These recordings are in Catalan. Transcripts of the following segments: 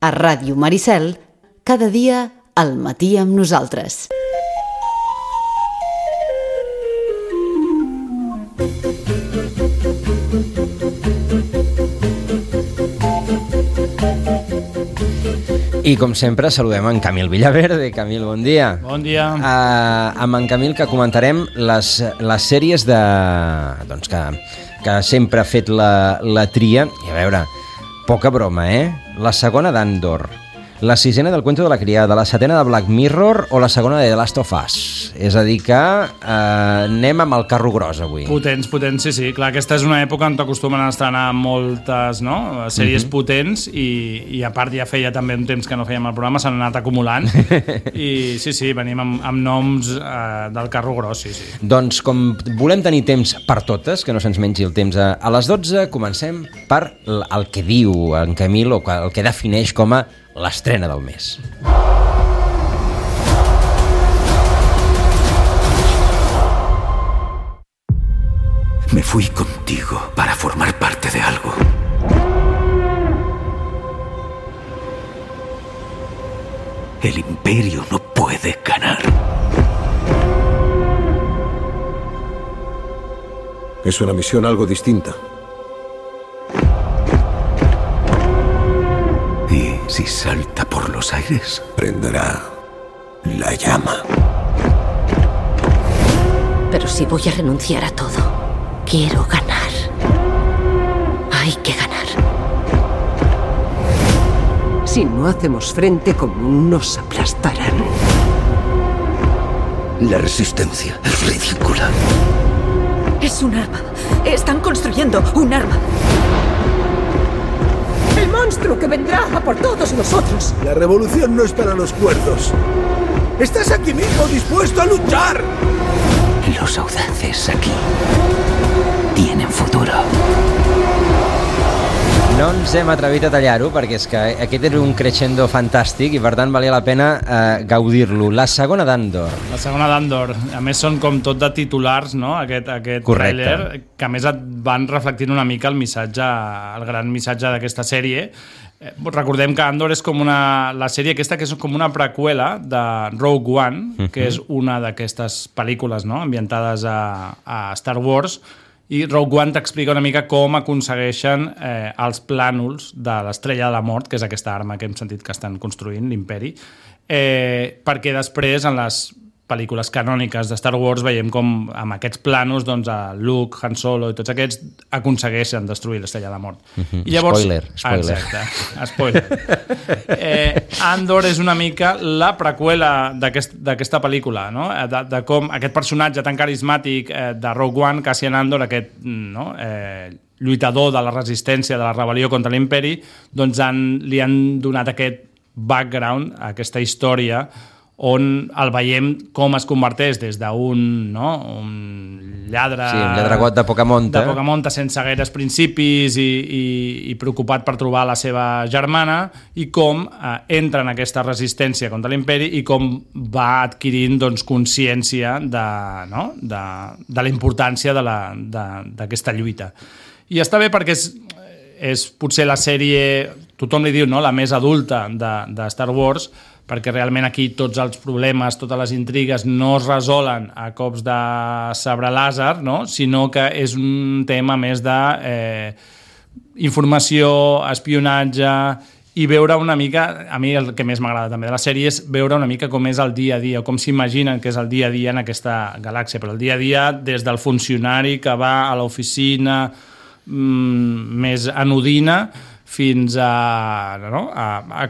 A Ràdio Maricel, cada dia al matí amb nosaltres. I com sempre saludem en Camil Villaverde. Camil, bon dia. Bon dia. Amb en Camil que comentarem les sèries que sempre ha fet la tria. I a veure, poca broma, La segona d'Andor, la sisena del Cuento de la Criada, la setena de Black Mirror o la segona de The Last of Us. És a dir que anem amb el carro gros avui. Potents, sí. Clar, aquesta és una època on t'acostumen a estrenar moltes sèries potents i a part ja feia també un temps que no fèiem el programa, s'han anat acumulant i sí, venim amb noms del carro gros, sí. Doncs com volem tenir temps per totes, que no se'ns mengi el temps a les 12, comencem per el que diu en Camil o el que defineix com a l'estrena del mes. Me fui contigo para formar parte de algo. El Imperio no puede ganar. Es una misión algo distinta. Y si salta por los aires, Prenderá la llama. Pero si voy a renunciar a todo, quiero ganar. Hay que ganar. Si no hacemos frente común, nos aplastarán. la resistencia es ridícula. Es un arma. Están construyendo un arma. ¡El monstruo que vendrá a por todos nosotros! La revolución no es para los cuerdos. ¡Estás aquí mismo dispuesto a luchar! Los audaces aquí tienen futuro. No ens hem atrevit a tallar-ho perquè és que aquest era un crescendo fantàstic i per tant valia la pena gaudir-lo. La segona d'Andor. La segona d'Andor. A més són com tot de titulars, no? Aquest tràiler, que a més et van reflectint una mica el missatge, el gran missatge d'aquesta sèrie. Recordem que Andor és com la sèrie aquesta que és com una preqüela de Rogue One, que és una d'aquestes pel·lícules, no? Ambientades a Star Wars. I Rogue One t'explica una mica com aconsegueixen els plànols de l'Estrella de la Mort, que és aquesta arma que hem sentit que estan construint, l'Imperi, perquè després, en les pel·lícules canòniques de Star Wars, veiem com amb aquests plànols Luke, Han Solo i tots aquests aconsegueixen destruir l'Estrella de la Mort. I llavors, Spoiler. Exacte, spoiler. Andor és una mica la preqüela d'aquesta pel·lícula, no? De com aquest personatge tan carismàtic de Rogue One, Cassian Andor, aquest lluitador de la resistència, de la rebel·lió contra l'Imperi, doncs li han donat aquest background, aquesta història, on el veiem com es converteix des d'un lladre... Sí, un lladregot de poca monta. De poca monta, sense gaires principis i preocupat per trobar la seva germana, i com entra en aquesta resistència contra l'Imperi i com va adquirint consciència de la importància d'aquesta lluita. I està bé perquè és potser la sèrie, tothom li diu, la més adulta de Star Wars, perquè realment aquí tots els problemes, totes les intrigues no es resolen a cops de sabre làser, sinó que és un tema més de informació, espionatge, i veure una mica, a mi el que més m'agrada també de la sèrie és veure una mica com és el dia a dia, com s'imaginen que és el dia a dia en aquesta galàxia, però el dia a dia des del funcionari que va a l'oficina més anodina fins a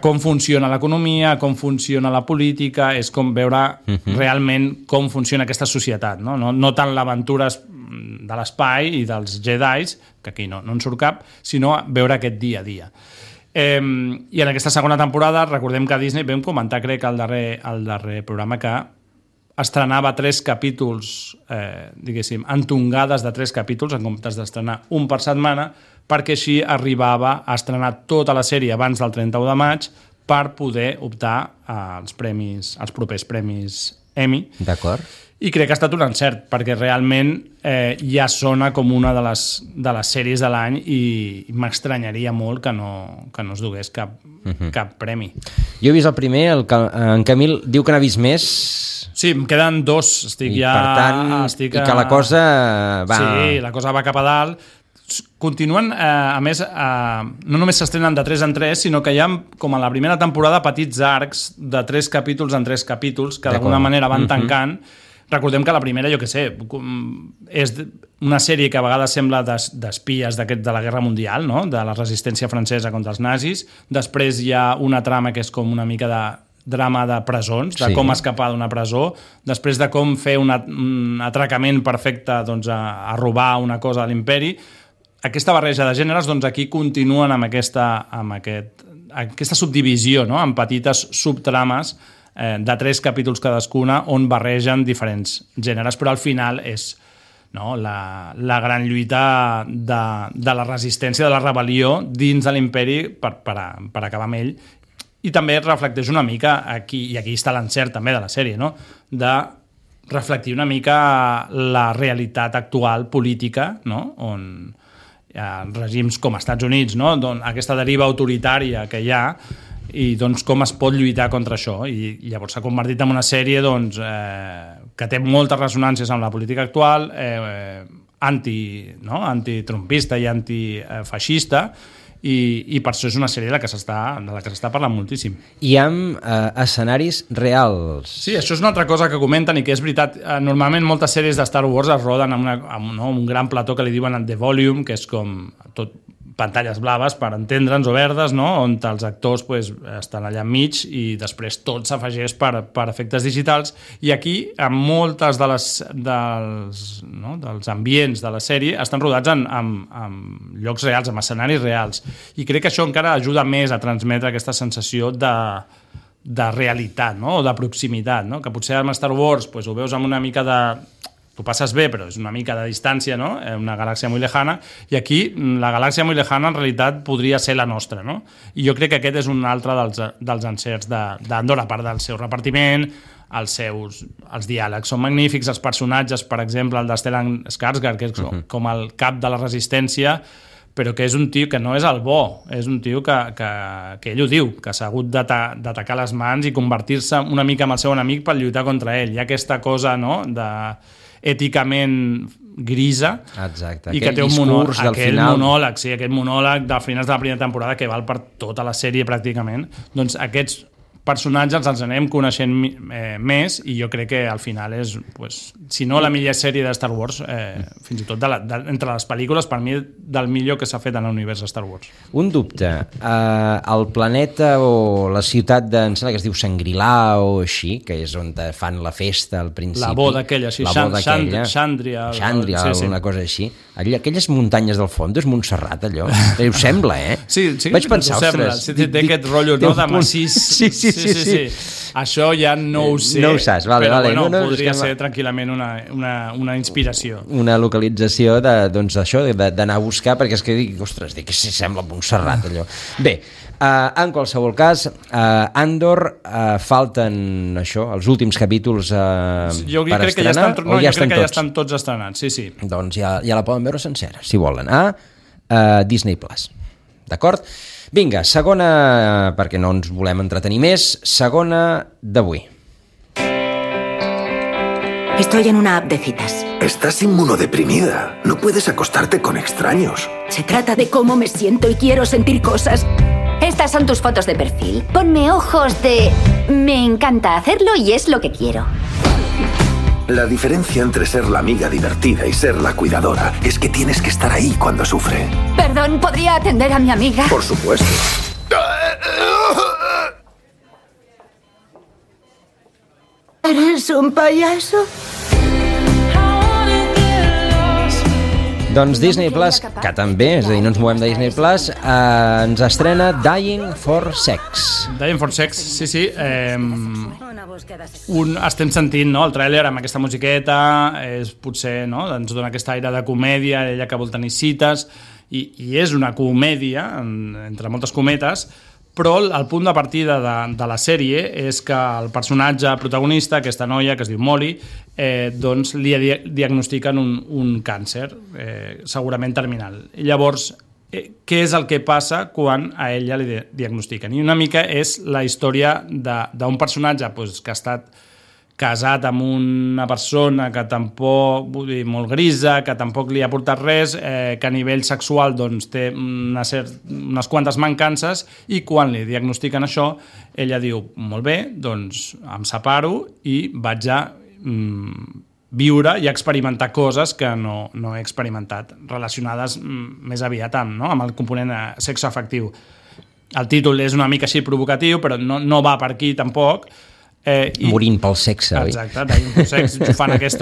com funciona l'economia, com funciona la política, és com veure realment com funciona aquesta societat, no tant l'aventura de l'espai i dels Jedis, que aquí no en surt cap, sinó veure aquest dia a dia. I en aquesta segona temporada, recordem que a Disney vam comentar, crec, al darrer programa, que estrenava 3 capítols, diguéssim, entongades de 3 capítols, en comptes d'estrenar un per setmana, perquè així arribava a estrenar tota la sèrie abans del 31 de maig per poder optar als propers premis Emmy. D'acord. I crec que ha estat un encert, perquè realment ja sona com una de les sèries de l'any i m'estranyaria molt que no es dugués cap premi. Jo he vist el primer, en Camil diu que n'ha vist més. Sí, em queden 2. I que la cosa va... Sí, la cosa va cap a dalt. Continuen, a més, no només s'estrenen de 3 en 3, sinó que hi ha, com a la primera temporada, petits arcs de 3 capítols en 3 capítols, que d'alguna manera van tancant. Recordem que la primera, jo què sé, és una sèrie que a vegades sembla d'espies de la Guerra Mundial, no? De la resistència francesa contra els nazis. Després hi ha una trama que és com una mica de drama de presons, de com escapar d'una presó, després de com fer un atracament perfecte doncs, a robar una cosa de l'imperi. Aquesta barreja de gèneres, doncs aquí continuen amb aquesta subdivisió, no? Amb petites subtrames de 3 capítols cadascuna on barregen diferents gèneres, però al final és la gran lluita de la resistència, de la rebel·lió dins de l'imperi per acabar amb ell. I també reflecteix una mica, i aquí està l'encert també de la sèrie, no? De reflectir una mica la realitat actual política, no? On règims com els Estats Units, no? Aquesta deriva autoritària que hi ha, i doncs com es pot lluitar contra això, i llavors s'ha convertit en una sèrie doncs, que té moltes ressonàncies amb la política actual, antitrumpista i antifeixista, i per això és una sèrie de la que s'està parlant moltíssim. I amb escenaris reals. Sí, això és una altra cosa que comenten i que és veritat. Normalment moltes sèries de Star Wars es roden amb un gran plató que li diuen The Volume, que és com tot pantalles blaves, per entendre'ns, o verdes, no? On els actors estan allà enmig i després tot s'afegeix per efectes digitals. I aquí, amb moltes dels ambients de la sèrie estan rodats en llocs reals, en escenaris reals. I crec que això encara ajuda més a transmetre aquesta sensació de realitat, no? O de proximitat, no? Que potser amb Star Wars ho veus amb una mica de... T'ho passes bé, però és una mica de distància, no? Una galàxia molt lejana, i aquí la galàxia molt lejana en realitat podria ser la nostra, no? I jo crec que aquest és un altre dels encerts d'Andor, a part del seu repartiment, els diàlegs són magnífics, els personatges, per exemple, el de Stellan Skarsgård, que és com el cap de la resistència, però que és un tio que no és el bo, és un tio que ell ho diu, que s'ha hagut d'atacar les mans i convertir-se una mica en el seu enemic per lluitar contra ell. Hi ha aquesta cosa, no?, èticament grisa. Exacte, i que té aquell monòleg de finals de la primera temporada que val per tota la sèrie pràcticament. Doncs aquests personatges els anem coneixent més, i jo crec que al final és, si no la millor sèrie de Star Wars, fins i tot entre les pel·lícules, per mi, del millor que s'ha fet en l'univers de Star Wars. Un dubte, el planeta o la ciutat em sembla que es diu Shangri-La o així, que és on fan la festa al principi. La boda aquella, sí, Xandria, una cosa així. Aquelles muntanyes del fons, és Montserrat, allò. Ho sembla, eh? Sí, vaig pensar, ostres. Té aquest rotllo, no?, de massís. Sí. Això ja no ho sé. No ho saps, vale. Però podria ser tranquil·lament una inspiració. Una localització d'això, d'anar a buscar, perquè és que dic, ostres, que si sembla Montserrat, allò. Bé, en qualsevol cas, Andor, falten això, els últims capítols per estrenar, o ja estan tots? Jo crec que ja estan tots estrenats, sí. Doncs ja la poden veure sencera, si volen, a Disney+. D'acord? Vinga, segona, perquè no ens volem entretenir més, segona d'avui. Estoy en una app de citas. Estás inmunodeprimida. No puedes acostarte con extraños. Se trata de cómo me siento y quiero sentir cosas. Estas son tus fotos de perfil. Ponme ojos de... Me encanta hacerlo y es lo que quiero. La diferencia entre ser la amiga divertida y ser la cuidadora es que tienes que estar ahí cuando sufre. Perdón, ¿podría atender a mi amiga? Por supuesto. ¿Eres un payaso? Doncs Disney Plus, que també, és a dir, no ens movem de Disney Plus, ens estrena Dying for Sex. Dying for Sex, sí. Estem sentint, no?, el tràiler amb aquesta musiqueta, és potser, no?, ens dona aquesta aire de comèdia, ella que vol tenir cites, i és una comèdia, entre moltes cometes, Però el punt de partida de la sèrie és que el personatge protagonista, aquesta noia que es diu Molly, doncs li diagnostiquen un càncer, segurament terminal. I llavors, què és el que passa quan a ella li diagnostiquen? I una mica és la història d'un personatge que ha estat casat amb una persona que tampoc, vull dir, molt grisa, que tampoc li ha portat res, que a nivell sexual doncs, té unes quantes mancances, i quan li diagnostiquen això, ella diu, molt bé, doncs em separo i vaig a viure i experimentar coses que no he experimentat, relacionades més aviat amb el component sexoafectiu. El títol és una mica així provocatiu, però no va per aquí tampoc. Morint pel sexe, oi? Exacte, dying for sex, fan aquest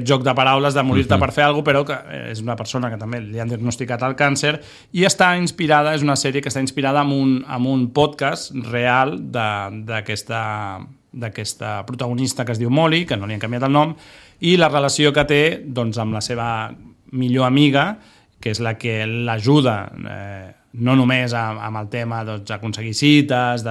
joc de paraules de morir-te per fer alguna cosa, però que és una persona que també li han diagnosticat el càncer, i està inspirada, és una sèrie que està inspirada en un podcast real d'aquesta protagonista que es diu Molly, que no li han canviat el nom, i la relació que té doncs, amb la seva millor amiga, que és la que l'ajuda no només amb el tema d'aconseguir cites,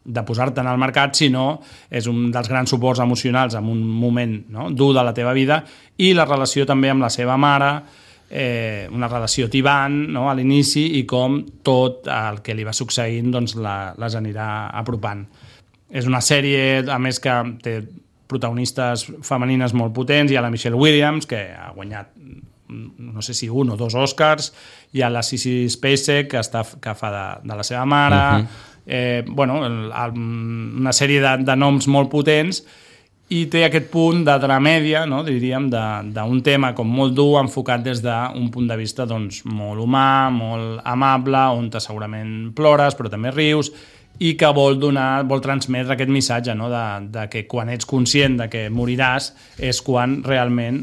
de posar-te en el mercat, sinó és un dels grans suports emocionals en un moment dur de la teva vida, i la relació també amb la seva mare, una relació tibant a l'inici, i com tot el que li va succeint les anirà apropant. És una sèrie, a més, que té protagonistes femenines molt potents. Hi ha la Michelle Williams, que ha guanyat no sé si 1 o 2 Oscars, hi ha la Sissy Spacek, que fa de la seva mare, una sèrie de noms molt potents, i té aquest punt de dramèdia, diríem, d'un tema com molt dur, enfocat des d'un punt de vista molt humà, molt amable, on segurament plores, però també rius, i que vol transmetre aquest missatge de que quan ets conscient de que moriràs és quan realment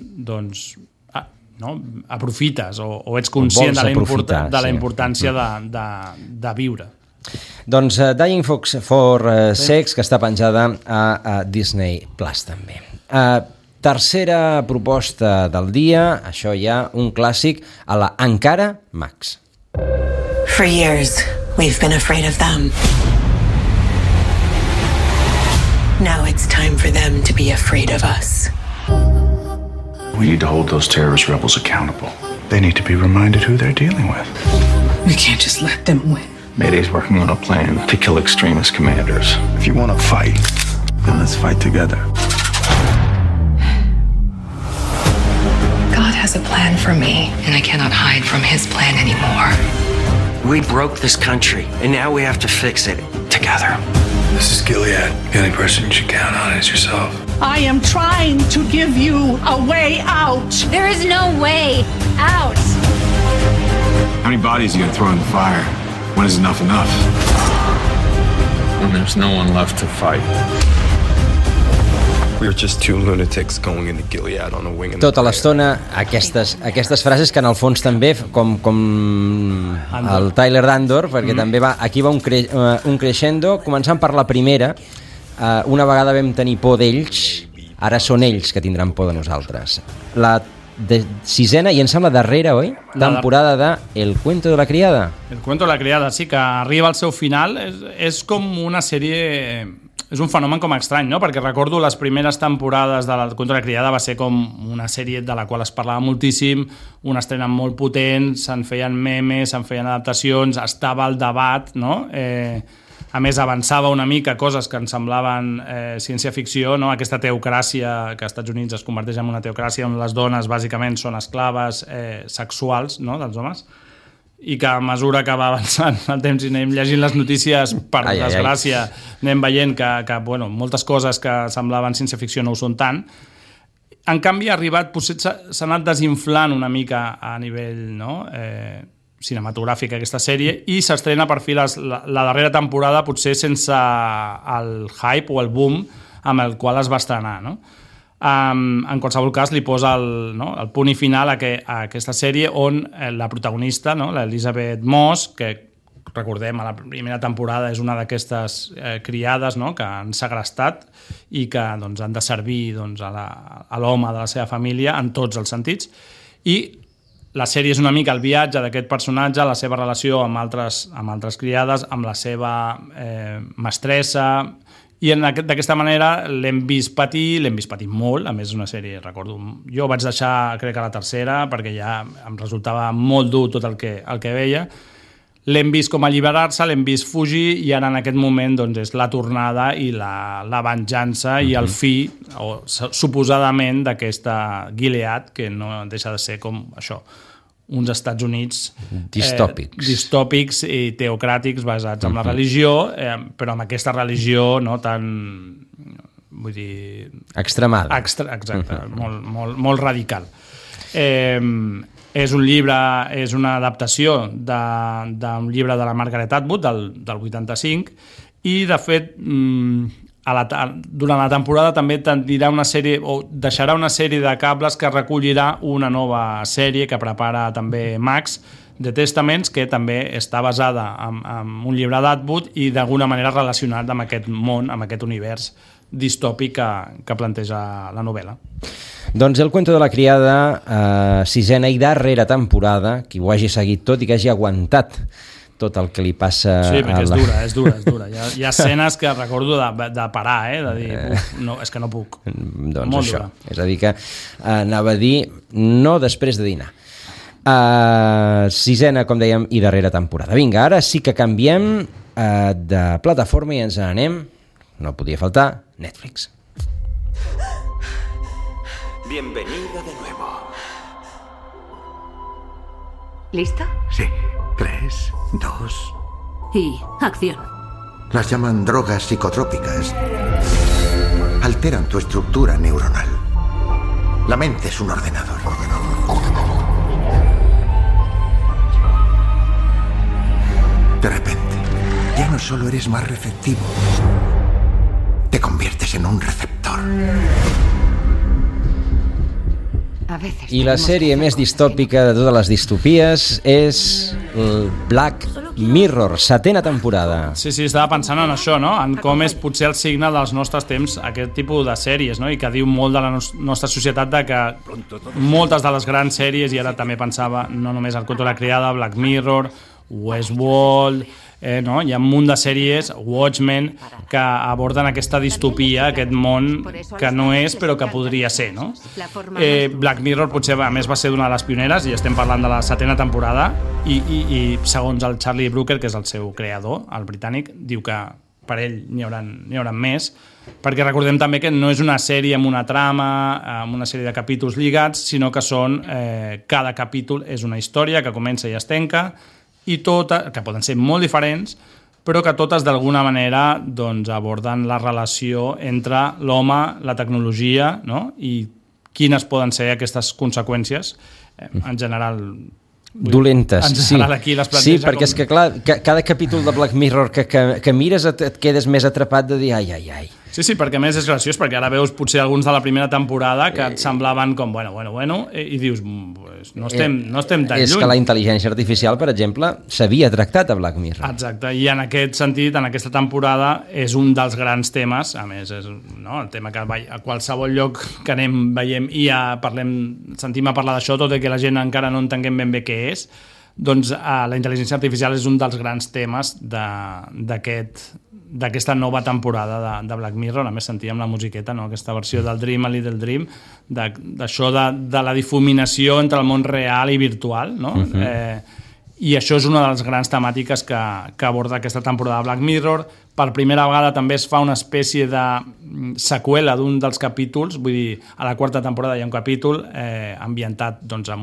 aprofites o ets conscient de la importància de viure. Doncs Dying for Sex, que està penjada a Disney Plus també. Tercera proposta del dia, això ja un clàssic a la Encara Max. For years, we've been afraid of them. Now it's time for them to be afraid of us. We need to hold those terrorist rebels accountable. They need to be reminded who they're dealing with. We can't just let them win. Mayday's working on a plan to kill extremist commanders. If you want to fight, then let's fight together. God has a plan for me, and I cannot hide from his plan anymore. We broke this country, and now we have to fix it together. This is Gilead. The only person you should count on is yourself. I am trying to give you a way out. There is no way out. How many bodies are you going to throw in the fire? When is enough enough? When there's no one left to fight. We were just two lunatics going into Gilead on a wing. Tota l'estona aquestes frases que en el fons també, com el Tyler d'Andor, perquè també aquí va un crescendo, començant per la primera. Una vegada vam tenir por d'ells, ara són ells que tindran por de nosaltres. La sisena, i em sembla darrera, oi? Temporada de El cuento de la criada. El cuento de la criada, sí, que arriba al seu final. És com una sèrie... És un fenomen com estrany, no? Perquè recordo les primeres temporades de El cuento de la criada va ser com una sèrie de la qual es parlava moltíssim, una estrena molt potent, se'n feien memes, se'n feien adaptacions, estava al debat, no? A més, avançava una mica coses que ens semblaven ciència-ficció, no? Aquesta teocràcia que als Estats Units es converteix en una teocràcia on les dones bàsicament són esclaves sexuals, no? Dels homes, i que a mesura que va avançant el temps i anem llegint les notícies, per desgràcia, anem veient que moltes coses que semblaven ciència-ficció no ho són tant. En canvi, ha arribat, potser s'ha anat desinflant una mica a nivell cinematogràfic aquesta sèrie, i s'estrena per fi la darrera temporada, potser sense el hype o el boom amb el qual es va estrenar, no? En qualsevol cas li posa el punt i final a aquesta sèrie, on la protagonista, l'Elizabeth Moss, que recordem a la primera temporada és una d'aquestes criades que han segrestat i que han de servir a l'home de la seva família en tots els sentits, i la sèrie és una mica el viatge d'aquest personatge, la seva relació amb altres criades, amb la seva mestressa, i d'aquesta manera l'hem vist patir molt. A més, és una sèrie, recordo, jo vaig deixar, crec que la tercera, perquè ja em resultava molt dur tot el que veia. L'hem vist com alliberar-se, l'hem vist fugir, i ara en aquest moment doncs, és la tornada i la venjança i el fi, o suposadament, d'aquesta Gilead, que no deixa de ser com això, uns Estats Units distòpics i teocràtics basats en la religió, però amb aquesta religió no tan, vull dir... extremada. Exacte, molt radical. És un llibre, és una adaptació d'un llibre de la Margaret Atwood del 85, i de fet durant la temporada també dirà una sèrie, o deixarà una sèrie de cables que recollirà una nova sèrie que prepara també Max, The Testaments, que també està basada en un llibre d'Atwood i d'alguna manera relacionat amb aquest món, amb aquest univers distòpic que planteja la novel·la. Doncs El cuento de la criada, sisena i darrera temporada, qui ho hagi seguit tot i que hagi aguantat tot el que li passa... Sí, perquè és dura. Hi ha escenes que recordo de parar, de dir, no, és que no puc. Doncs molt això, dura. és a dir que anava a dir no després de dinar. Sisena, com dèiem, i darrera temporada. Vinga, ara sí que canviem de plataforma i ens n'anem, no podia faltar, Netflix. Bienvenida de nuevo. ¿Listo? Sí. 3, 2... Y acción. Las llaman drogas psicotrópicas. Alteran tu estructura neuronal. La mente es un ordenador. De repente, ya no solo eres más receptivo, te conviertes en un receptor. I la sèrie més distòpica de totes les distopies és Black Mirror, setena temporada. Sí, estava pensant en això, no? En com és potser el signe dels nostres temps aquest tipus de sèries, no? I que diu molt de la nostra societat, de que moltes de les grans sèries, i ara també pensava no només El cuento de la criada, Black Mirror, Westworld, no? Hi ha un munt de sèries, Watchmen, que aborden aquesta distopia, aquest món que no és però que podria ser, no? Black Mirror potser a més va ser una de les pioneres, i estem parlant de la setena temporada, i segons el Charlie Brooker, que és el seu creador, el britànic, diu que per ell n'hi haurà més, perquè recordem també que no és una sèrie amb una trama, amb una sèrie de capítols lligats, sinó que són cada capítol és una història que comença i es tanca, i totes, que poden ser molt diferents, però que totes d'alguna manera doncs, aborden la relació entre l'home, la tecnologia, no? I quines poden ser aquestes conseqüències, en general... dolentes, en general, aquí les planteja. Sí, perquè és que clar, cada capítol de Black Mirror que mires et quedes més atrapat de dir ai. Sí, perquè a més és graciós, perquè ara veus potser alguns de la primera temporada que et semblaven com, bueno, i dius, pues, no estem tan lluny. És que la intel·ligència artificial, per exemple, s'havia tractat a Black Mirror. Exacte, i en aquest sentit, en aquesta temporada, és un dels grans temes, a més, és el tema que a qualsevol lloc que anem veiem i sentim a parlar d'això, tot i que la gent encara no entenguem ben bé què és, doncs la intel·ligència artificial és un dels grans temes d'aquesta nova temporada de Black Mirror. A més sentíem la musiqueta, no? Aquesta versió del Dream, a Little Dream, d'això de la difuminació entre el món real i virtual, no? I això és una de les grans temàtiques que aborda aquesta temporada de Black Mirror. Per primera vegada també es fa una espècie de seqüela d'un dels capítols, vull dir, a la quarta temporada hi ha un capítol ambientat doncs,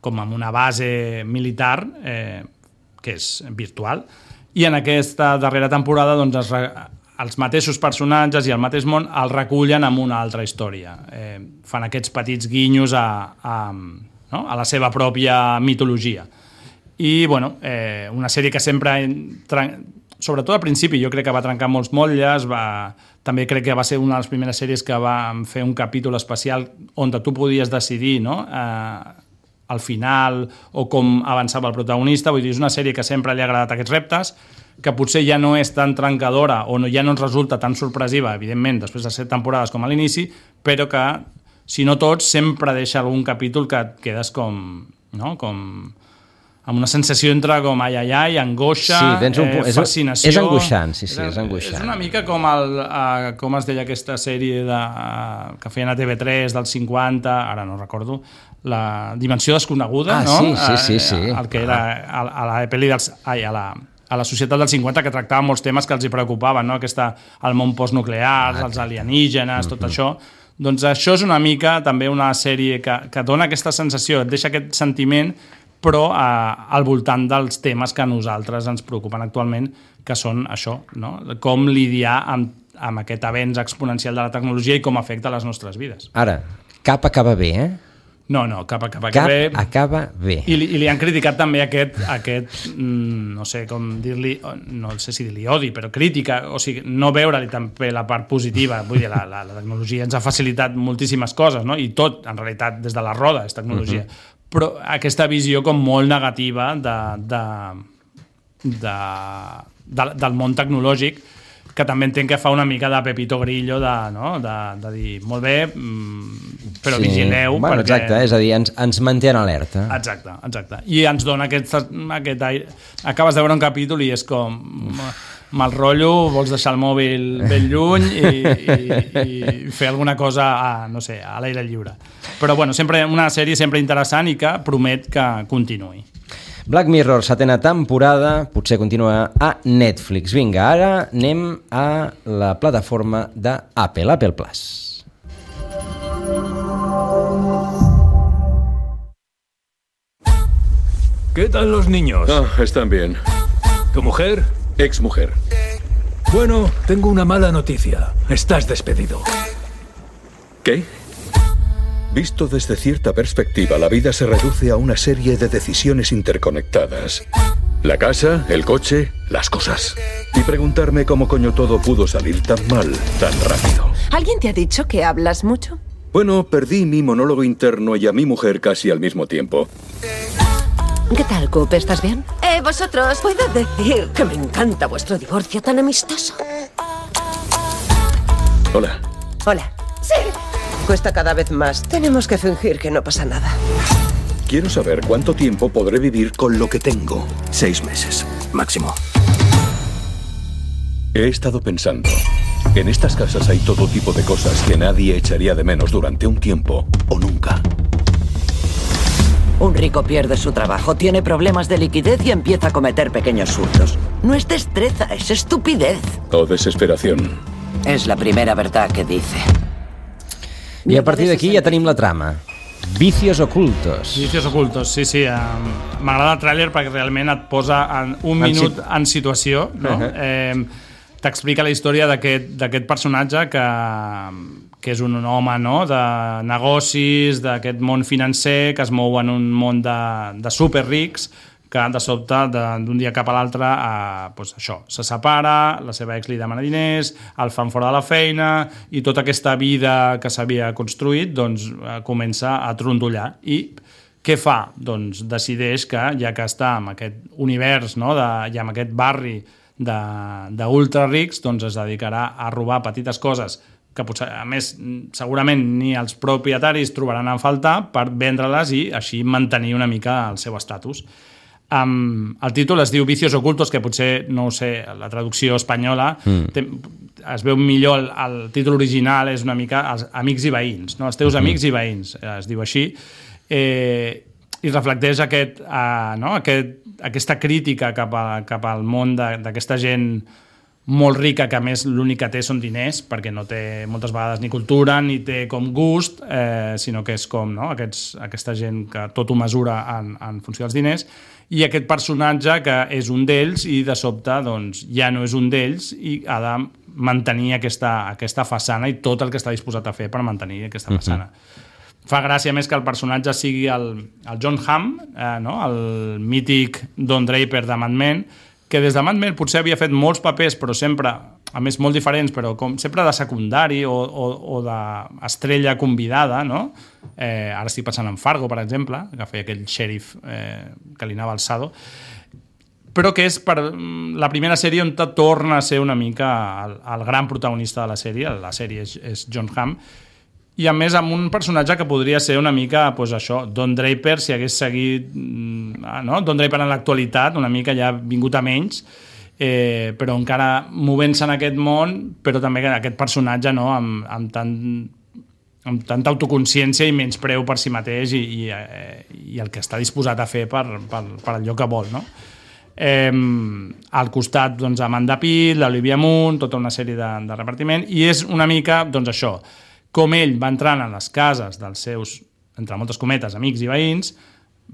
com en una base militar que és virtual, i en aquesta darrera temporada doncs, els mateixos personatges i el mateix món el recullen amb una altra història. Fan aquests petits guinyos a la seva pròpia mitologia. I bueno, una sèrie que sempre, sobretot al principi, jo crec que va trencar molts motlles, també crec que va ser una de les primeres sèries que va fer un capítol especial on tu podies decidir, no?, al final, o com avançava el protagonista. Vull dir, és una sèrie que sempre li ha agradat aquests reptes, que potser ja no és tan trencadora o ja no ens resulta tan sorpresiva, evidentment, després de 7 temporades com a l'inici, però que si no tots, sempre deixa algun capítol que et quedes com, no? Com amb una sensació entre com ai, angoixa, fascinació. És angoixant, sí, és angoixant. És una mica com com es deia aquesta sèrie que feien a TV3 dels 50, ara no recordo, la Dimensió desconeguda, no? Sí. El que era a la pel·li a la societat dels 50, que tractava molts temes que els hi preocupaven, no? El món postnuclear, els alienígenes, tot això. Doncs això és una mica també una sèrie que dona aquesta sensació, et deixa aquest sentiment, però al voltant dels temes que a nosaltres ens preocupen actualment, que són això, no? Com lidiar amb aquest avenç exponencial de la tecnologia i com afecta les nostres vides. Ara, cap acaba bé, eh? No, cap acaba bé. I li han criticat també aquest no sé com dir-li, no sé si dir-li odi, però crítica, o sigui, no veure-li també la part positiva. Vull dir, la tecnologia ens ha facilitat moltíssimes coses, no? I tot, en realitat, des de la roda és tecnologia. Però aquesta visió com molt negativa del món tecnològic, que també entenc que fa una mica de Pepito Grillo de dir, molt bé, però vigileu. Bueno, perquè... Exacte, és a dir, ens manté en alerta. Exacte. I ens dona aquest aire. Acabes de veure un capítol i és com... mal rotllo, vols deixar el mòbil ben lluny i fer alguna cosa no sé, a l'aire lliure. Però bueno, sempre una sèrie sempre interessant i que promet que continuï. Black Mirror, 7ª temporada, potser continua a Netflix. Vinga, ara anem a la plataforma d'Apple Plus. ¿Qué tal los niños? Están bien. ¿Tu mujer? Exmujer. Bueno, tengo una mala noticia. Estás despedido. ¿Qué? Visto desde cierta perspectiva, la vida se reduce a una serie de decisiones interconectadas. La casa, el coche, las cosas. Y preguntarme cómo coño todo pudo salir tan mal, tan rápido. ¿Alguien te ha dicho que hablas mucho? Bueno, perdí mi monólogo interno y a mi mujer casi al mismo tiempo. ¿Qué tal, Coop? ¿Estás bien? Vosotros, puedo decir que me encanta vuestro divorcio tan amistoso. Hola. Hola. Sí. Cuesta cada vez más. Tenemos que fingir que no pasa nada. Quiero saber cuánto tiempo podré vivir con lo que tengo. 6 meses, máximo. He estado pensando. En estas casas hay todo tipo de cosas que nadie echaría de menos durante un tiempo o nunca. Un rico pierde su trabajo, tiene problemas de liquidez y empieza a cometer pequeños hurtos. No es destreza, es estupidez. O desesperación. Es la primera verdad que dice. I a partir d'aquí ja tenim la trama. Vicios ocultos. Vicios ocultos, sí. M'agrada el tràiler perquè realment et posa en un minut en situació, no? T'explica la història d'aquest personatge que és un home, no?, de negocis, d'aquest món financer, que es mou en un món de superrics, que de sobte, d'un dia cap a l'altre, això, se separa, la seva ex li demana diners, el fan fora de la feina, i tota aquesta vida que s'havia construït doncs, comença a trontollar. I què fa? Doncs decideix que, ja que està en aquest univers, no?, i en aquest barri d'ultra rics, doncs es dedicarà a robar petites coses que potser, a més, segurament ni els propietaris trobaran a faltar per vendre-les i així mantenir una mica el seu estatus. El títol es diu Vicios ocultos, que potser, no ho sé, la traducció espanyola es veu millor, el títol original és una mica els amics i veïns, no? Els teus amics i veïns, es diu així, i reflecteix aquesta crítica cap al món d'aquesta gent molt rica, que a més l'únic que té són diners, perquè no té moltes vegades ni cultura ni té com gust, sinó que és com, no?, aquesta gent que tot ho mesura en funció dels diners, i aquest personatge que és un d'ells i de sobte doncs, ja no és un d'ells i ha de mantenir aquesta façana i tot el que està disposat a fer per mantenir aquesta façana. Fa gràcia més que el personatge sigui el John Hamm, no?, el mític Don Draper de Mad Men, que des de Mad Men potser havia fet molts papers, però sempre, a més, molt diferents, però com sempre de secundari o d'estrella convidada, no? Ara estic pensant en Fargo, per exemple, que feia aquell xèrif que li anava alçado, però que és per la primera sèrie on torna a ser una mica el gran protagonista de la sèrie és John Hamm, i a més amb un personatge que podria ser una mica Don Draper, si hagués seguit Don Draper en l'actualitat, una mica ja vingut a menys, però encara movent-se en aquest món, però també aquest personatge amb tanta autoconsciència i menyspreu per si mateix i el que està disposat a fer per allò que vol, no? Al costat, Amanda Pitt, l'Olivia Munn, tota una sèrie de repartiment, i és una mica, això, com ell va entrant a les cases dels seus, entre moltes cometes, amics i veïns,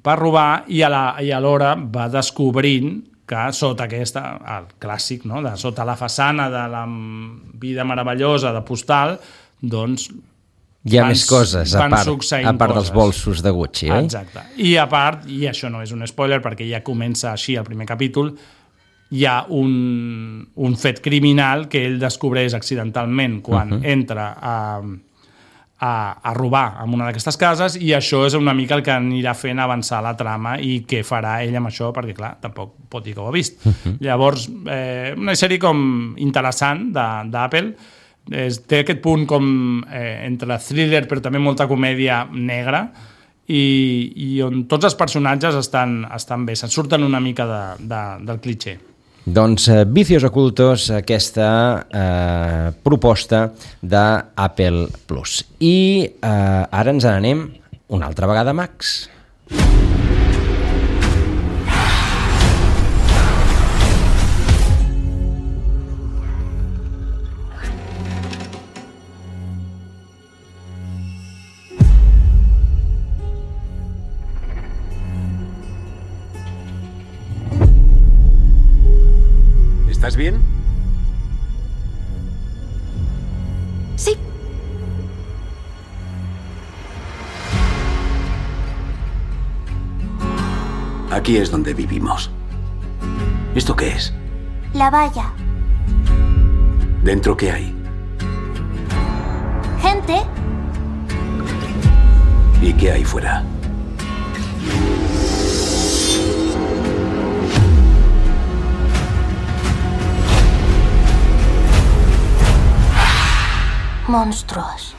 per robar, i alhora va descobrint que sota el clàssic, no? Sota la façana de la vida meravellosa de Postal, hi ha més coses, a part dels bolsos de Gucci, oi? Exacte. I a part, i això no és un spoiler perquè ja comença així el primer capítol, hi ha un fet criminal que ell descobreix accidentalment quan entra a robar en una d'aquestes cases, i això és una mica el que anirà fent avançar la trama i què farà ell amb això, perquè clar, tampoc pot dir que ho ha vist. Llavors, una sèrie com interessant d'Apple, té aquest punt com entre thriller però també molta comèdia negra i on tots els personatges estan bé, se'n surten una mica del cliché. Doncs Vicios Ocultos, aquesta proposta d'Apple Plus. I ara ens n'anem una altra vegada a Max. ¿Estás bien? Sí. Aquí es donde vivimos. ¿Esto qué es? La valla. ¿Dentro qué hay? Gente. ¿Y qué hay fuera? Monstruos.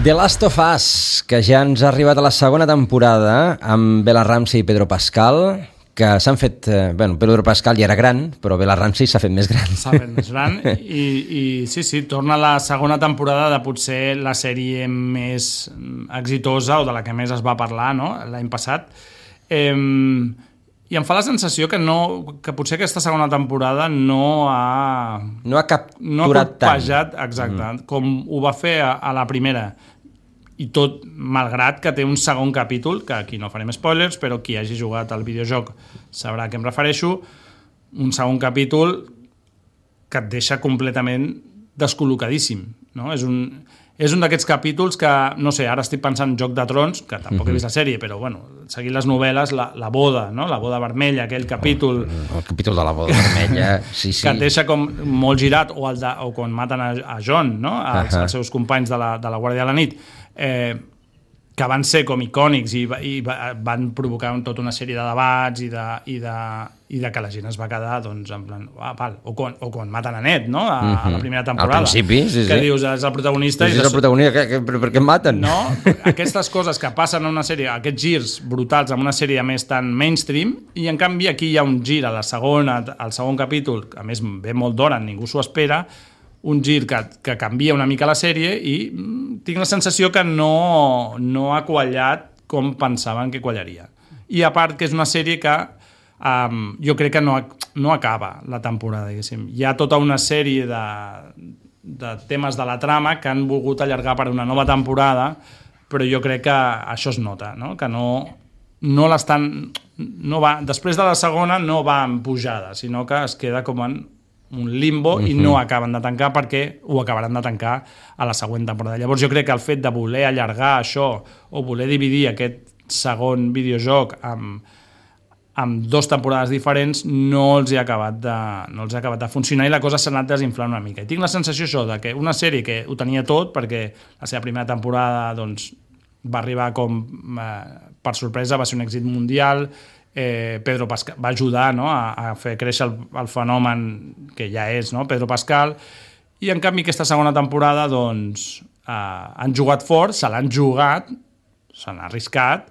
The Last of Us, que ja ens ha arribat a la segona temporada amb Bella Ramsey i Pedro Pascal, que s'han fet... Pedro Pascal ja era gran, però Bella Ramsey s'ha fet més gran. S'ha fet més gran i sí, torna la segona temporada de potser la sèrie més exitosa o de la que més es va parlar, no? L'any passat. I em fa la sensació que potser aquesta segona temporada no ha capturat tant, exacte, com ho va fer a la primera. I tot, malgrat que té un segon capítol, que aquí no farem spoilers, però qui hagi jugat al videojoc sabrà a què em refereixo, un segon capítol que et deixa completament descol·locadíssim, no? És un d'aquests capítols que, no sé, ara estic pensant en Joc de Trons, que tampoc he vist la sèrie, però, seguint les novel·les, la boda, no? La boda vermella, aquell capítol... El capítol de la boda vermella, sí. Que et deixa com molt girat, o quan maten a John, no? Els seus companys de la Guàrdia de la Nit, que van ser com icònics i van provocar tota una sèrie de debats i de que la gent es va quedar doncs, en plan, o quan maten a Ned, no? A la primera temporada. Al principi, sí. Que dius, és el protagonista. És el protagonista, per què maten? No? Aquestes coses que passen en una sèrie, aquests girs brutals en una sèrie més tan mainstream, i en canvi aquí hi ha un gir al segon capítol, a més ve molt d'hora, ningú s'ho espera, un gir que canvia una mica la sèrie i tinc la sensació que no ha quallat com pensaven que quallaria. I a part que és una sèrie que jo crec que no acaba la temporada, diguéssim. Hi ha tota una sèrie de temes de la trama que han volgut allargar per una nova temporada, però jo crec que això es nota, no? Que no l'estan... després de la segona no va en pujada, sinó que es queda com en un limbo i no acaben de tancar perquè ho acabaran de tancar a la següent temporada. Llavors jo crec que el fet de voler allargar això o voler dividir aquest segon videojoc amb 2 temporades diferents no els ha acabat de funcionar i la cosa s'ha anat desinflant una mica. I tinc la sensació això de que una sèrie que ho tenia tot perquè la seva primera temporada doncs, va arribar com per sorpresa, va ser un èxit mundial. Pedro Pascal va ajudar, no? a fer créixer el fenomen que ja és, no? Pedro Pascal, I en canvi aquesta segona temporada doncs han jugat fort, se l'han jugat, s'han arriscat,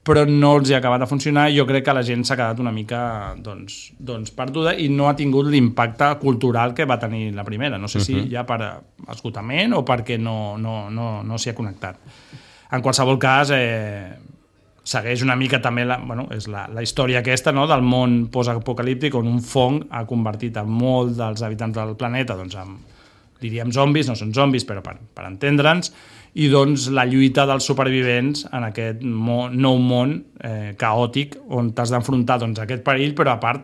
però no els ha acabat de funcionar i jo crec que la gent s'ha quedat una mica doncs perduda i no ha tingut l'impacte cultural que va tenir la primera. No sé si ja per esgotament o perquè no s'hi ha connectat. En qualsevol cas, segueix una mica també és la història aquesta, no?, del món postapocalíptic on un fong ha convertit a molts dels habitants del planeta en, diríem, zombis, no són zombis, però per entendre'ns, i doncs la lluita dels supervivents en aquest nou món caòtic on t'has d'enfrontar a aquest perill, però a part,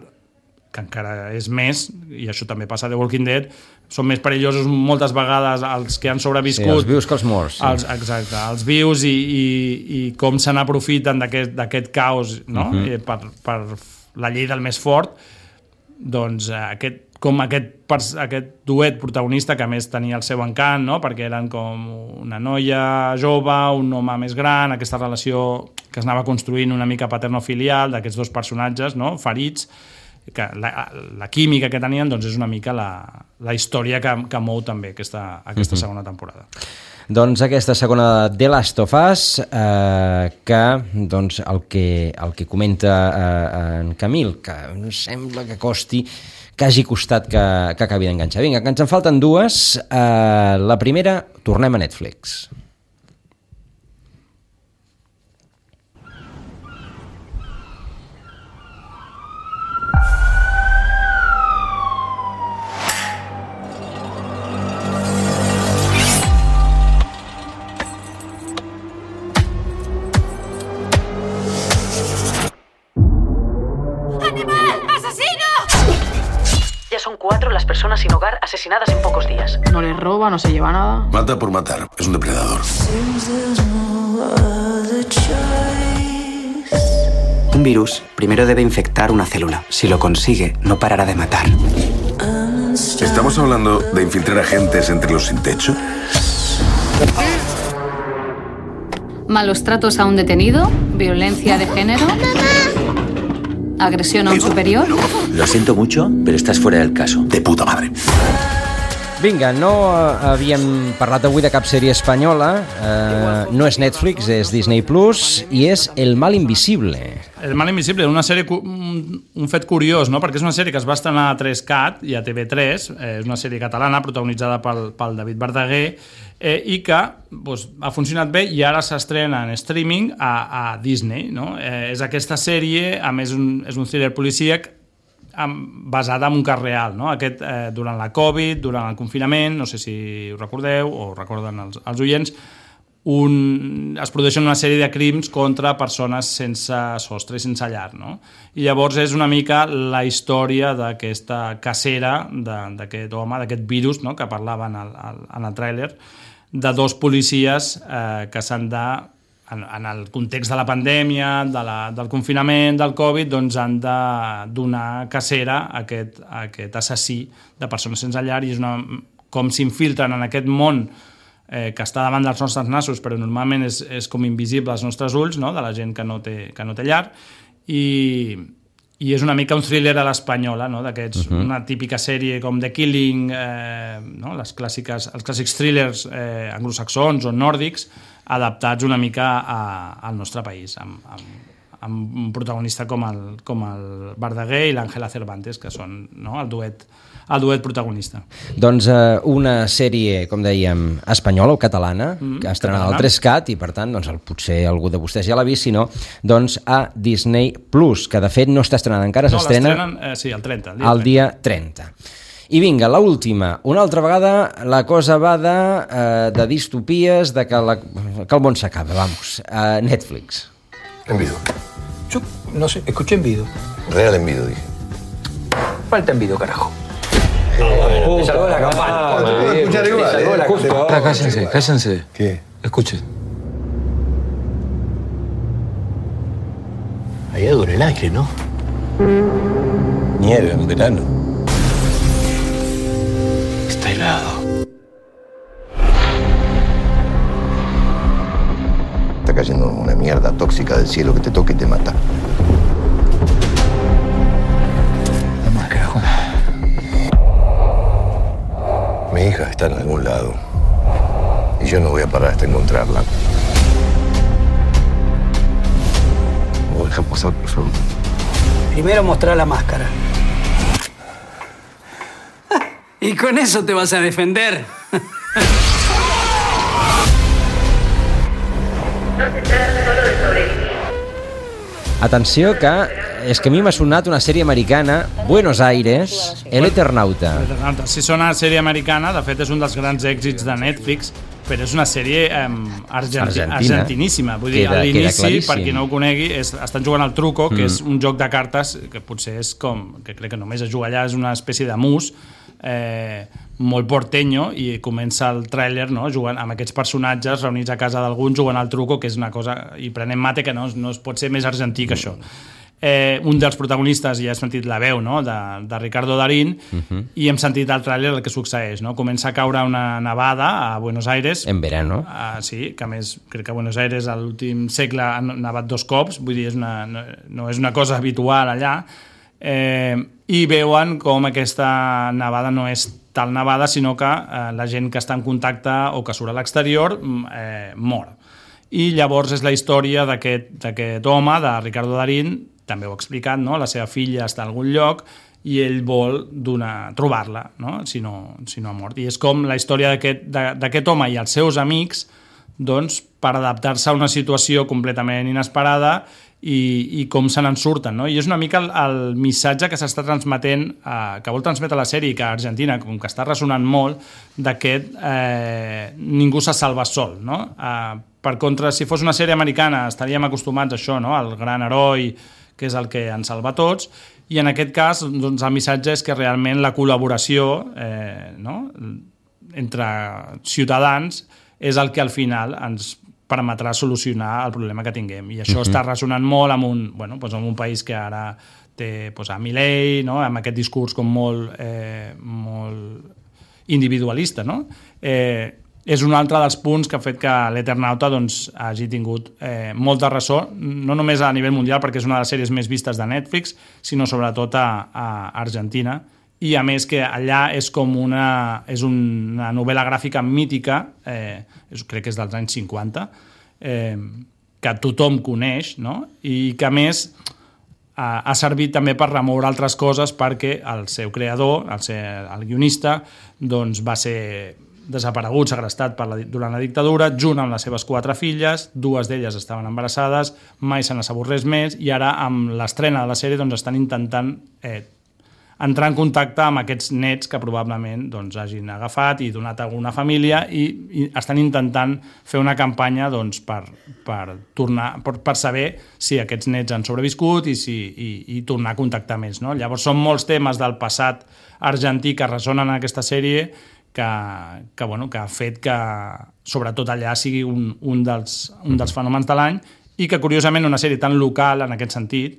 que encara és més, i això també passa a The Walking Dead, són més perillosos moltes vegades els que han sobreviscut. Sí, els vius que els morts. Sí. Exacte, els vius i com se n'aprofiten d'aquest caos, no? Per la llei del més fort, doncs aquest duet protagonista que a més tenia el seu encant, no? Perquè eren com una noia jove, un home més gran, aquesta relació que es anava construint una mica paternofilial d'aquests dos personatges, no?, ferits, que la química que tenien doncs és una mica la història que mou també aquesta segona temporada. Doncs aquesta segona The Last of Us, que doncs el que comenta en Camil, que sembla que costi, que hagi costat que acabi d'enganxar. Vinga, que ens en falten dues. La primera, tornem a Netflix. Son 4 las personas sin hogar asesinadas en pocos días. No les roba, no se lleva nada. Mata por matar, es un depredador. Un virus primero debe infectar una célula. Si lo consigue, no parará de matar. ¿Estamos hablando de infiltrar agentes entre los sin techo? Malos tratos a un detenido, violencia de género, agresión a un superior. Lo siento mucho, pero estás fuera del caso. De puta madre. Vinga, no havíem parlat avui de cap sèrie espanyola, no és Netflix, és Disney Plus, i és El mal invisible. El mal invisible, una sèrie, un fet curiós, no? Perquè és una sèrie que es va estrenar a 3CAT i a TV3, és una sèrie catalana protagonitzada pel David Verdaguer, i que ha funcionat bé i ara s'estrena en streaming a Disney, no? És aquesta sèrie, a més és un thriller policíac basada en un cas real, no? Aquest, durant la Covid, durant el confinament, no sé si ho recordeu o recorden els oients, es produeixen una sèrie de crims contra persones sense sostre i sense llar, no? I llavors és una mica la història d'aquesta cacera d'aquest home, d'aquest virus, no?, que parlaven en el tràiler, de dos policies que s'han de, en el context de la pandèmia, del confinament, del Covid, doncs han de donar cacera a aquest assassí de persones sense llar, i és com s'infiltren en aquest món que està davant dels nostres nassos, però normalment és com invisible als nostres ulls, no?, de la gent que no té llar, i és una mica un thriller a l'espanyola, no?, d'aquests, una típica sèrie com The Killing, no?, els clàssics thrillers anglosaxons o nòrdics, adaptats una mica al nostre país, amb un protagonista com el Verdaguer i l'Àngela Cervantes, que són, no?, el duet protagonista. Doncs una sèrie, com dèiem, espanyola o catalana, que estrenada al 3CAT, i per tant, doncs, potser algú de vostès ja l'ha vist, si no, doncs a Disney Plus, que de fet no està estrenada encara, s'estrena el 30. El dia 30. I vinga, l'última. Una altra vegada la cosa va de distopies, de que el món s'acaba, vamos. Netflix. Envido. Yo no sé, escuché envido. Real envido, dije. Falta envido, carajo. Me salvó la campana. Cállense. ¿Qué? Escuchen. Allá dura el aire, ¿no? Nieve en verano. Está helado. Está cayendo una mierda tóxica del cielo que te toca y te mata. Vamos, carajo. hija está en algún lado. Y yo no voy a parar hasta encontrarla. ¿Me dejan pasar, por favor? Primero mostrar la máscara. Y con eso te vas a defender. Atenció que és que a mi m'ha sonat una sèrie americana, Buenos Aires, El Eternauta. Si sona sèrie americana, de fet és un dels grans èxits de Netflix, però és una sèrie argentiníssima. Vull dir, a l'inici, per qui no ho conegui, estan jugant al truco, que és un joc de cartes que potser és com, que crec que només es juga allà, és una espècie de mus, molt porteño, i comença el tràiler, no? Jugant amb aquests personatges reunits a casa d'algun jugant al truco, que és una cosa, i prenent mate, que no es pot ser més argentí que això. Un dels protagonistes, ja he sentit la veu, no? de Ricardo Darín, i hem sentit al tràiler el que succeeix, no? Comença a caure una nevada a Buenos Aires en verano. Sí, que a més crec que a Buenos Aires a l'últim segle ha nevat 2 cops, vull dir, no és una cosa habitual allà, i veuen com aquesta nevada no és tal nevada, sinó que la gent que està en contacte o que surt a l'exterior mor. I llavors és la història d'aquest home, de Ricardo Darín, també ho ha explicat, no? La seva filla està a algun lloc i ell vol trobar-la, no? Si no ha mort. I és com la història d'aquest home i els seus amics, doncs, per adaptar-se a una situació completament inesperada i com se n'en surten, no? I és una mica el missatge que s'està transmetent, que vol transmetre la sèrie, que a Argentina, com que està ressonant molt, d'aquest ningú se salva sol, no? Per contra, si fos una sèrie americana estaríem acostumats a això, no? Al gran heroi, que és el que ens salva tots, i en aquest cas doncs, el missatge és que realment la col·laboració entre ciutadans és el que al final ens permetrà solucionar el problema que tinguem. I això està ressonant molt amb un país que ara té a Milei, no? Amb aquest discurs com molt individualista, no? És un altre dels punts que ha fet que l'Eternauta hagi tingut molta ressò, no només a nivell mundial, perquè és una de les sèries més vistes de Netflix, sinó sobretot a Argentina. I a més que allà és com una novel·la gràfica mítica, crec que és dels anys 50, que tothom coneix, no? I que a més ha servit també per remoure altres coses, perquè el seu creador, el guionista, va ser desaparegut, segrestat durant la dictadura, junt amb les seves 4 filles, 2 d'elles estaven embarassades, mai se n'ha sabut res més, i ara amb l'estrena de la sèrie estan intentant entrar en contacte amb aquests nets que probablement hagin agafat i donat a alguna família, i estan intentant fer una campanya per saber si aquests nets han sobreviscut i tornar a contactar més, no? Llavors són molts temes del passat argentí que ressonen en aquesta sèrie que ha fet que sobretot allà sigui un dels fenòmens de l'any, i que curiosament una sèrie tan local en aquest sentit,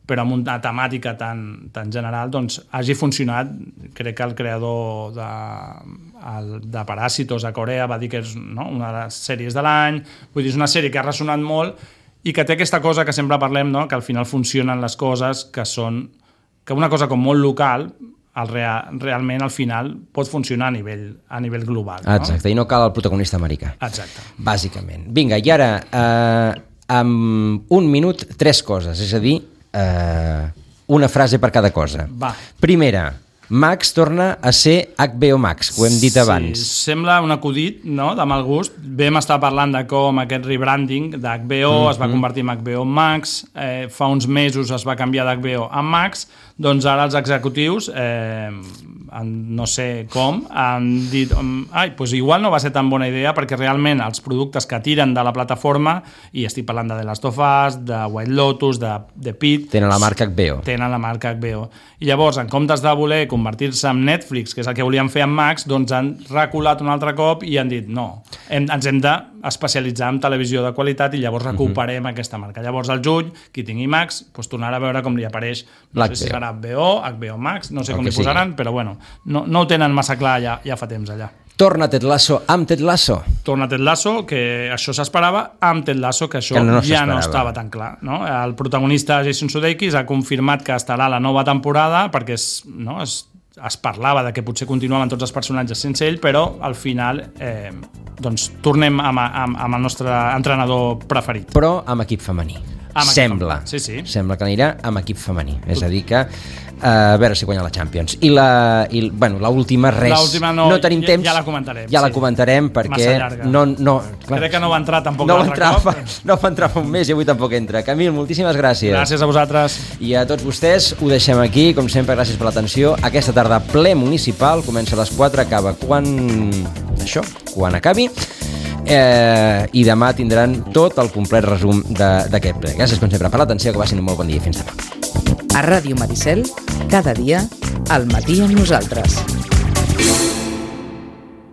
però amb una temàtica tan general, hagi funcionat. Crec que el creador de Paràsitos a Corea va dir que és una de les sèries de l'any. Vull dir, és una sèrie que ha ressonat molt i que té aquesta cosa que sempre parlem, no? Que al final funcionen les coses, que una cosa com molt local realment al final pot funcionar a nivell global. Exacte, i no cal el protagonista americà. Exacte. Bàsicament. Vinga, i ara, en un minut, 3 coses, és a dir, una frase per cada cosa. Va. Primera, Max torna a ser HBO Max, ho hem dit abans. Sí, sembla un acudit, no?, de mal gust. Vam estar parlant de com aquest rebranding d'HBO es va convertir en HBO Max, fa uns mesos es va canviar d'HBO a Max, doncs ara els executius, no sé com, han dit doncs igual no va ser tan bona idea, perquè realment els productes que tiren de la plataforma, i estic parlant de The Last of Us, de White Lotus, de Pitt, tenen la marca HBO. Tenen la marca HBO. I llavors, en comptes de voler convertir-se en Netflix, que és el que volien fer amb Max, doncs han reculat un altre cop i han dit no, ens hem d'especialitzar en televisió de qualitat i llavors recuperem aquesta marca. Llavors al juny, qui tingui Max, doncs tornarà a veure com li apareix, no sé si serà HBO Max, no sé com li posaran, però bueno, no ho tenen massa clar ja fa temps allà. Torna Ted Lasso amb Ted Lasso. Torna Ted Lasso, que això s'esperava, amb Ted Lasso, que això ja no estava tan clar, no? El protagonista Jason Sudeikis ha confirmat que estarà a la nova temporada, perquè es parlava de que potser continuaven tots els personatges sense ell, però al final doncs tornem amb el nostre entrenador preferit. Però amb equip femení. Sembla. Sí, sí. Sembla que anirà amb equip femení. És a dir que a veure si guanya la Champions. I l'última, res. L'última no tenim temps. Ja la comentarem. Ja la comentarem perquè clar, crec que no va entrar tampoc l'altre cop. No va entrar fa un mes i avui tampoc entra. Camil, moltíssimes gràcies. Gràcies a vosaltres. I a tots vostès ho deixem aquí. Com sempre, gràcies per l'atenció. Aquesta tarda ple municipal. Comença a les 4, acaba quan acabi. I demà tindran tot el complet resum d'aquest ple. Gràcies com sempre per l'atenció, que passin un molt bon dia. Fins demà. A Ràdio Maricel, cada dia, al matí amb nosaltres.